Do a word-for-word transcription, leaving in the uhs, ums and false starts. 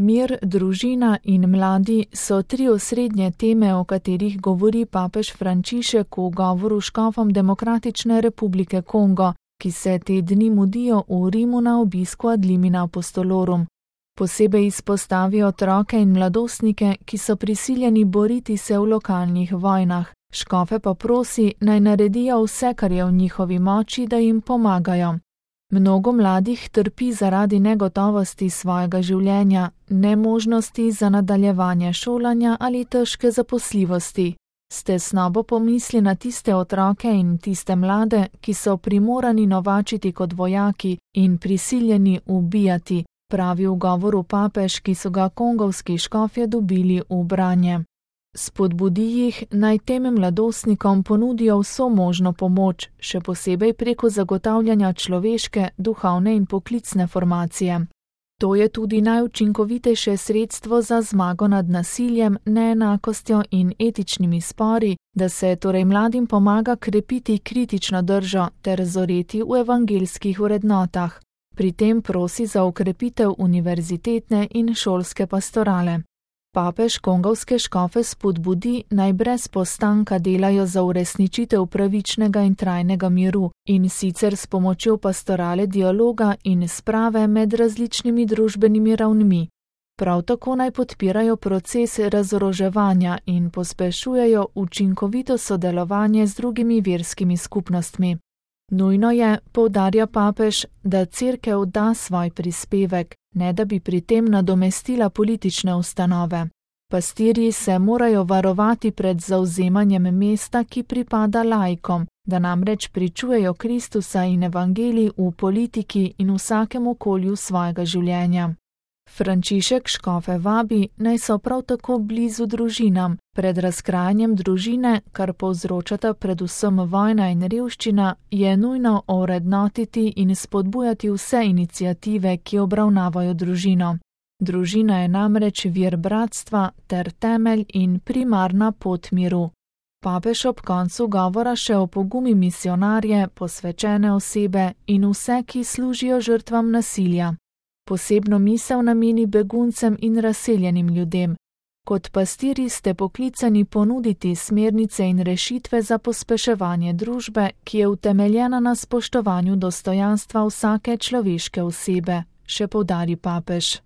Mir, družina in mladi so tri osrednje teme, o katerih govori papež Frančišek v govoru škofom Demokratične republike Kongo, ki se te dni mudijo v Rimu na obisku ad limina apostolorum. Posebej izpostavi otroke in mladostnike, ki so prisiljeni boriti se v lokalnih vojnah. Škofe pa prosi, naj naredijo vse, kar je v njihovi moči, da jim pomagajo. Mnogo mladih trpi zaradi negotovosti svojega življenja, nemožnosti za nadaljevanje šolanja ali težke zaposljivosti. S tesnobo pomisli na tiste otroke in tiste mlade, ki so primorani novačiti kot vojaki in prisiljeni ubijati, pravi v govoru papež, ki so ga kongovski škofje dobili v branje. Spodbudi jih, naj tem mladostnikom ponudijo vso možno pomoč, še posebej preko zagotavljanja človeške, duhovne in poklicne formacije. To je tudi najučinkovitejše sredstvo za zmago nad nasiljem, neenakostjo in etičnimi spori, da se torej mladim pomaga krepiti kritično držo ter zoreti v evangeljskih vrednotah. Pri tem prosi za ukrepitev univerzitetne in šolske pastorale. Papež kongovske škofe spodbudi, naj brez postanka delajo za uresničitev pravičnega in trajnega miru, in sicer s pomočjo pastorale dialoga in sprave med različnimi družbenimi ravnmi. Prav tako naj podpirajo proces razoroževanja in pospešujejo učinkovito sodelovanje z drugimi verskimi skupnostmi. Nujno je, poudarja papež, da cerkev da svoj prispevek, ne da bi pri tem nadomestila politične ustanove. Pastirji se morajo varovati pred zavzemanjem mesta, ki pripada laikom, da namreč pričujejo Kristusa in evangelij v politiki in vsakem okolju svojega življenja. Frančišek škofe vabi, naj so prav tako blizu družinam. Pred razkrajanjem družine, kar povzročata predvsem vojna in revščina, je nujno ovrednotiti in spodbujati vse iniciative, ki obravnavajo družino. Družina je namreč vir bratstva ter temelj in primarna pot miru. Papež ob koncu govora še opogumi misionarje, posvečene osebe in vse, ki služijo žrtvam nasilja. Posebno misel nameni beguncem in razseljenim ljudem. Kot pastirji ste poklicani ponuditi smernice in rešitve za pospeševanje družbe, ki je utemeljena na spoštovanju dostojanstva vsake človeške osebe, še poudari papež.